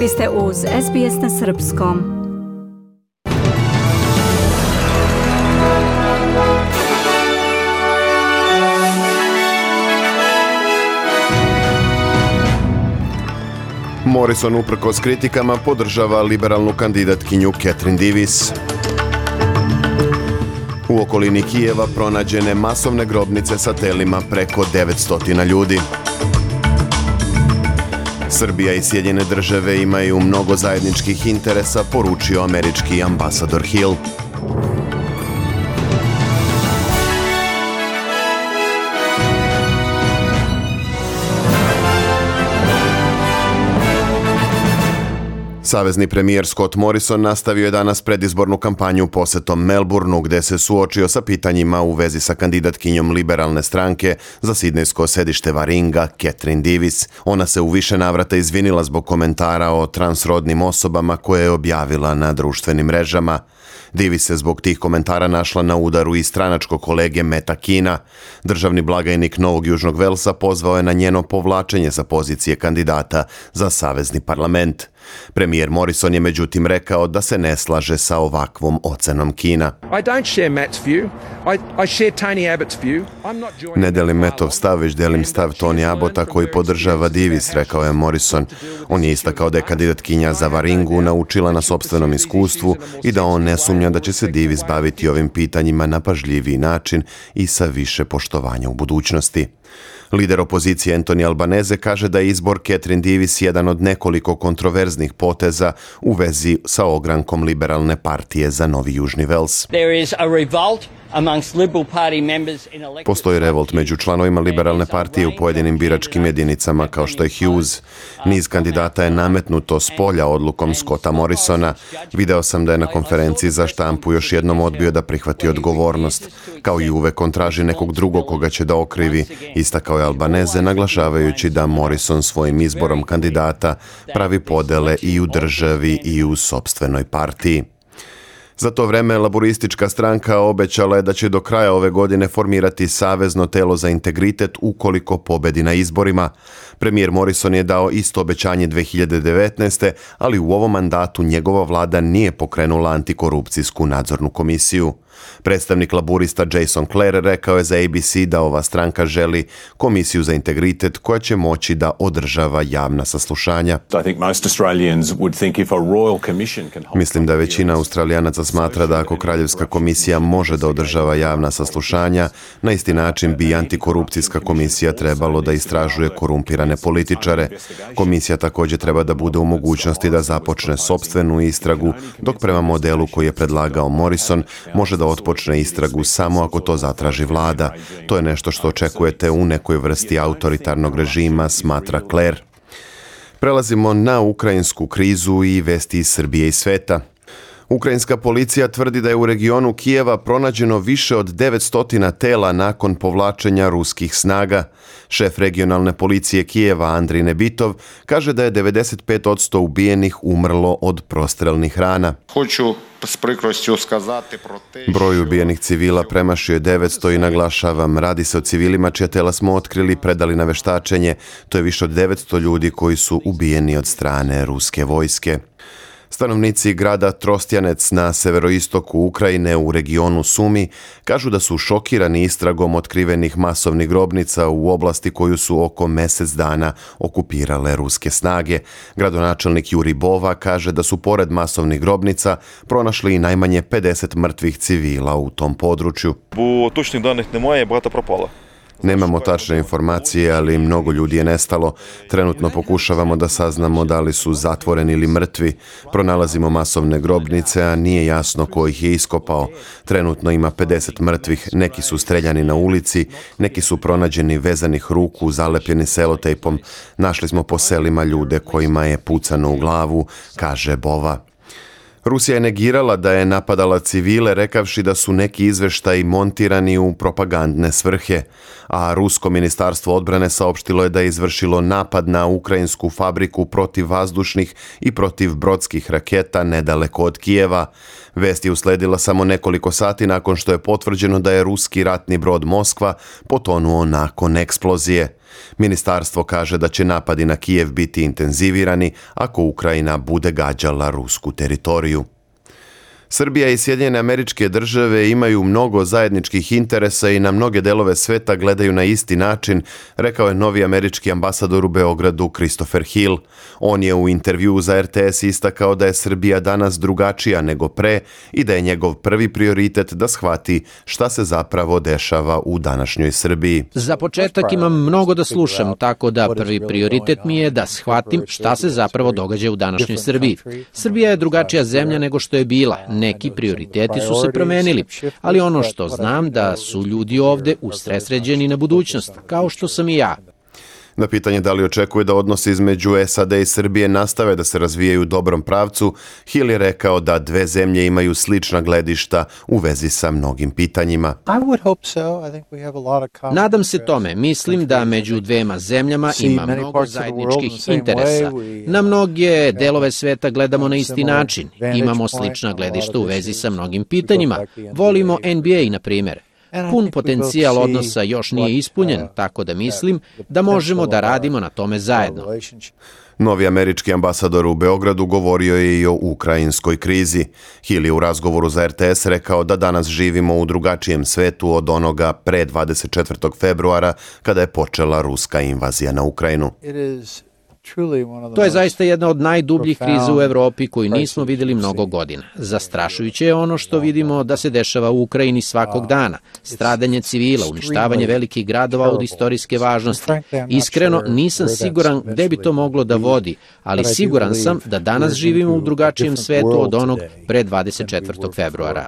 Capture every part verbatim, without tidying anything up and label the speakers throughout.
Speaker 1: Vi ste uz S B S na srpskom.
Speaker 2: Morrison uprkos kritikama podržava liberalnu kandidatkinju Catherine Davis. U okolini Kijeva pronađene masovne grobnice sa telima preko devetsto ljudi. Srbija i Sjedinjene države imaju mnogo zajedničkih interesa, poručio američki ambasador Hill. Savezni premijer Scott Morrison nastavio je danas predizbornu kampanju posetom Melbourneu, gde se suočio sa pitanjima u vezi sa kandidatkinjom liberalne stranke za sidnejsko sedište Waringa, Catherine Davis. Ona se u više navrata izvinila zbog komentara o transrodnim osobama koje je objavila na društvenim mrežama. Davis se zbog tih komentara našla na udaru i stranačkog kolege Meta Kina. Državni blagajnik Novog Južnog Velsa pozvao je na njeno povlačenje sa pozicije kandidata za savezni parlament. Premijer Morrison je međutim rekao da se ne slaže sa ovakvom ocenom Kina. Ne delim Metov stav, već delim stav Tony Abbotta koji podržava Davis, rekao je Morrison. On je istakao da je kandidatkinja za Waringu naučila na sopstvenom iskustvu i da on ne sumnja da će se Davis baviti ovim pitanjima na pažljiviji način i sa više poštovanja u budućnosti. Lider opozicije Anthony Albanese kaže da je izbor Catherine Davis jedan od nekoliko kontroverznih poteza u vezi sa ogrankom liberalne partije za Novi Južni Vels. Postoji revolt među članovima liberalne partije u pojedinim biračkim jedinicama kao što je Hughes. Niz kandidata je nametnuto s polja odlukom Scotta Morrisona. Video sam da je na konferenciji za štampu još jednom odbio da prihvati odgovornost. Kao i uvek on traži nekog drugog koga će da okrivi, istakao je Albanese, naglašavajući da Morrison svojim izborom kandidata pravi podele i u državi i u sopstvenoj partiji. Za to vreme laboristička stranka obećala je da će do kraja ove godine formirati savezno telo za integritet ukoliko pobedi na izborima. Premijer Morrison je dao isto obećanje dve hiljade devetnaeste. ali u ovom mandatu njegova vlada nije pokrenula antikorupcijsku nadzornu komisiju. Predstavnik laburista Jason Clare rekao je za A B C da ova stranka želi komisiju za integritet koja će moći da održava javna saslušanja. Mislim da većina Australijanaca smatra da ako kraljevska komisija može da održava javna saslušanja, na isti način bi antikorupcijska komisija trebalo da istražuje korumpirane političare. Komisija također treba da bude u mogućnosti da započne sopstvenu istragu, dok prema modelu koji je predlagao Morrison može da otpočne istragu samo ako to zatraži vlada. To je nešto što očekujete u nekoj vrsti autoritarnog režima, smatra Clare. Prelazimo na ukrajinsku krizu i vesti iz Srbije i sveta. Ukrajinska policija tvrdi da je u regionu Kijeva pronađeno više od devetsto tela nakon povlačenja ruskih snaga. Šef regionalne policije Kijeva Andrij Nebitov kaže da je devedeset pet posto ubijenih umrlo od prostrelnih rana. Broj ubijenih civila premašio je devetsto i naglašavam, radi se o civilima čija tela smo otkrili i predali na veštačenje. To je više od devetsto ljudi koji su ubijeni od strane ruske vojske. Stanovnici grada Trostjanec na severoistoku Ukrajine u regionu Sumi kažu da su šokirani istragom otkrivenih masovnih grobnica u oblasti koju su oko mjesec dana okupirale ruske snage. Gradonačelnik Juri Bova kaže da su pored masovnih grobnica pronašli i najmanje pedeset mrtvih civila u tom području.
Speaker 3: Bo točnih danih немає, багато пропало.
Speaker 2: Nemamo tačne informacije, ali mnogo ljudi je nestalo. Trenutno pokušavamo da saznamo da li su zatvoreni ili mrtvi. Pronalazimo masovne grobnice, a nije jasno ko ih je iskopao. Trenutno ima pedeset mrtvih, neki su streljani na ulici, neki su pronađeni vezanih ruku, zalepljeni selotejpom. Našli smo po selima ljude kojima je pucano u glavu, kaže Bova. Rusija je negirala da je napadala civile, rekavši da su neki izveštaji montirani u propagandne svrhe, a rusko ministarstvo odbrane saopštilo je da je izvršilo napad na ukrajinsku fabriku protivvazdušnih i protivbrodskih raketa nedaleko od Kijeva. Vest je usledila samo nekoliko sati nakon što je potvrđeno da je ruski ratni brod Moskva potonuo nakon eksplozije. Ministarstvo kaže da će napadi na Kijev biti intenzivirani ako Ukrajina bude gađala rusku teritoriju. Srbija i Sjedinjene Američke Države imaju mnogo zajedničkih interesa i na mnoge delove sveta gledaju na isti način, rekao je novi američki ambasador u Beogradu Christopher Hill. On je u intervjuu za R T S istakao da je Srbija danas drugačija nego pre i da je njegov prvi prioritet da shvati šta se zapravo dešava u današnjoj Srbiji.
Speaker 4: Za početak imam mnogo da slušam, tako da prvi prioritet mi je da shvatim šta se zapravo događa u današnjoj Srbiji. Srbija je drugačija zemlja nego što je bila. Neki prioriteti su se promenili, ali ono što znam da su ljudi ovde usredsređeni na budućnost, kao što sam i ja.
Speaker 2: Na pitanje da li očekuje da odnosi između S A D i Srbije nastave da se razvijaju u dobrom pravcu, Hill je rekao da dve zemlje imaju slična gledišta u vezi sa mnogim pitanjima.
Speaker 4: Nadam se tome. Mislim da među dvema zemljama ima mnogo zajedničkih interesa. Na mnoge delove sveta gledamo na isti način. Imamo slična gledišta u vezi sa mnogim pitanjima. Volimo N B A, na primjer. Pun potencijal odnosa još nije ispunjen, tako da mislim da možemo da radimo na tome zajedno.
Speaker 2: Novi američki ambasador u Beogradu govorio je i o ukrajinskoj krizi. Hill je u razgovoru za R T S rekao da danas živimo u drugačijem svetu od onoga pre dvadeset četvrtog februara kada je počela ruska invazija na Ukrajinu.
Speaker 4: To je zaista jedna od najdubljih kriza u Evropi koju nismo vidjeli mnogo godina. Zastrašujuće je ono što vidimo da se dešava u Ukrajini svakog dana. Stradanje civila, uništavanje velikih gradova od istorijske važnosti. Iskreno, nisam siguran gde bi to moglo da vodi, ali siguran sam da danas živimo u drugačijem svetu od onog pre dvadeset četvrtog februara.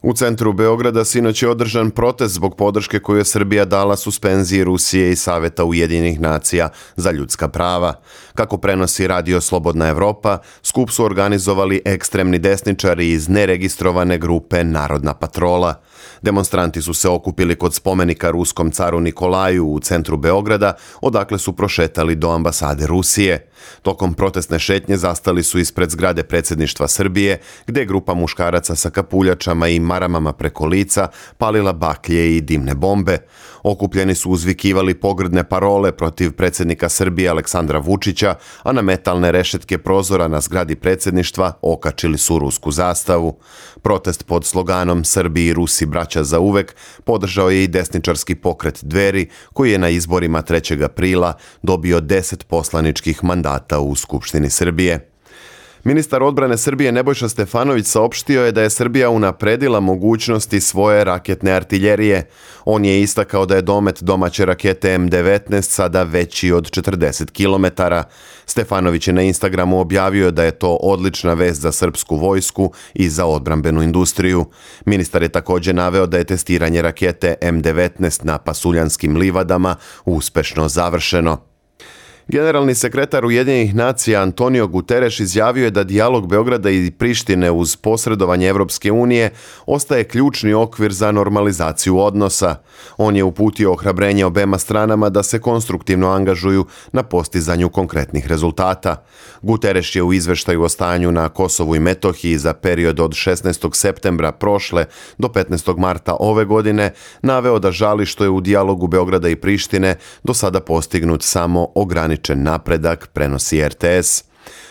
Speaker 2: U centru Beograda sinoć je održan protest zbog podrške koju je Srbija dala suspenziji Rusije i Saveta Ujedinjenih nacija za ljudska prava. Kako prenosi radio Slobodna Evropa, skup su organizovali ekstremni desničari iz neregistrovane grupe Narodna patrola. Demonstranti su se okupili kod spomenika ruskom caru Nikolaju u centru Beograda, odakle su prošetali do ambasade Rusije. Tokom protestne šetnje zastali su ispred zgrade predsjedništva Srbije, gde je grupa muškaraca sa kapuljačama i maramama preko lica palila baklje i dimne bombe. Okupljeni su uzvikivali pogrdne parole protiv predsjednika Srbije Aleksandra Vučića, a na metalne rešetke prozora na zgradi predsjedništva okačili su rusku zastavu. Protest pod sloganom Srbi i Rusi braća za uvek podržao je i desničarski pokret Dveri, koji je na izborima trećeg aprila dobio deset poslaničkih mandata u Skupštini Srbije. Ministar odbrane Srbije Nebojša Stefanović saopštio je da je Srbija unapredila mogućnosti svoje raketne artiljerije. On je istakao da je domet domaće rakete M devetnaest sada veći od četrdeset kilometara. Stefanović je na Instagramu objavio da je to odlična vest za srpsku vojsku i za odbrambenu industriju. Ministar je također naveo da je testiranje rakete M devetnaest na Pasuljanskim livadama uspešno završeno. Generalni sekretar Ujedinjenih nacija Antonio Guterres izjavio je da dijalog Beograda i Prištine uz posredovanje Evropske unije ostaje ključni okvir za normalizaciju odnosa. On je uputio ohrabrenje obema stranama da se konstruktivno angažuju na postizanju konkretnih rezultata. Guterres je u izveštaju o stanju na Kosovu i Metohiji za period od šesnaestog septembra prošle do petnaestog marta ove godine naveo da žali što je u dijalogu Beograda i Prištine do sada postignut samo ograničen napredak, prenosi R T S.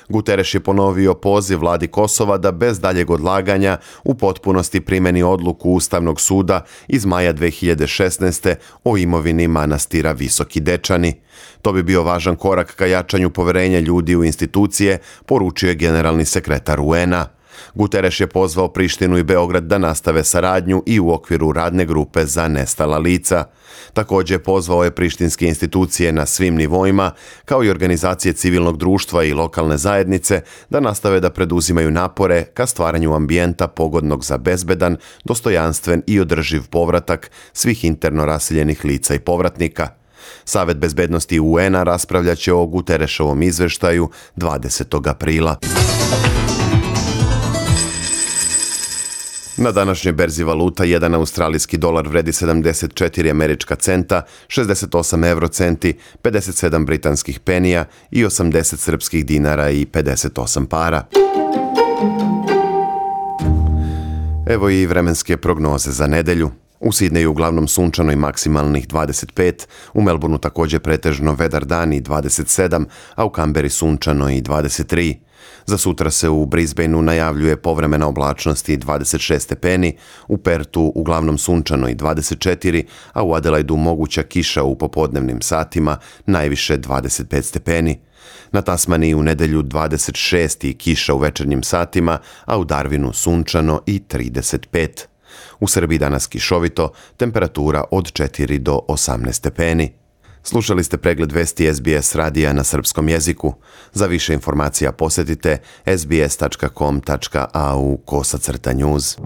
Speaker 2: Guterres je ponovio poziv vladi Kosova da bez daljeg odlaganja u potpunosti primeni odluku Ustavnog suda iz maja dve hiljade šesnaeste. o imovini manastira Visoki Dečani. To bi bio važan korak ka jačanju poverenja ljudi u institucije, poručio je generalni sekretar U N-a. Guterres je pozvao Prištinu i Beograd da nastave saradnju i u okviru radne grupe za nestala lica. Također pozvao je prištinske institucije na svim nivoima, kao i organizacije civilnog društva i lokalne zajednice, da nastave da preduzimaju napore ka stvaranju ambijenta pogodnog za bezbedan, dostojanstven i održiv povratak svih interno raseljenih lica i povratnika. Savet bezbednosti U N-a raspravljaće o Guterresovom izveštaju dvadesetog aprila. Na današnjoj berzi valuta jedan australijski dolar vredi sedamdeset četiri američka centa, šezdeset osam eurocenti, pedeset sedam britanskih penija i osamdeset srpskih dinara i pedeset osam para. Evo i vremenske prognoze za nedelju. U Sidneju uglavnom sunčano i maksimalnih dvadeset pet, u Melbourneu također pretežno vedar dan i dvadeset sedam, a u Kamberi sunčano i dvadeset tri. Za sutra se u Brisbaneu najavljuje povremena oblačnost i dvadeset šest stepeni, u Pertu uglavnom sunčano i dvadeset četiri, a u Adelaidu moguća kiša u popodnevnim satima, najviše dvadeset pet stepeni. Na Tasmaniji u nedjelju dvadeset šest i kiša u večernjim satima, a u Darwinu sunčano i trideset pet. U Srbiji danas kišovito, temperatura od četiri do osamnaest stepeni. Slušali ste pregled vesti S B S radija na srpskom jeziku. Za više informacija posjetite s b s tačka com tačka a u kosacrta news.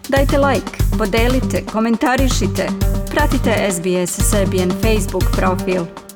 Speaker 1: Dajte like, podelite, komentarišite. Pratite S B S Serbian Facebook profil.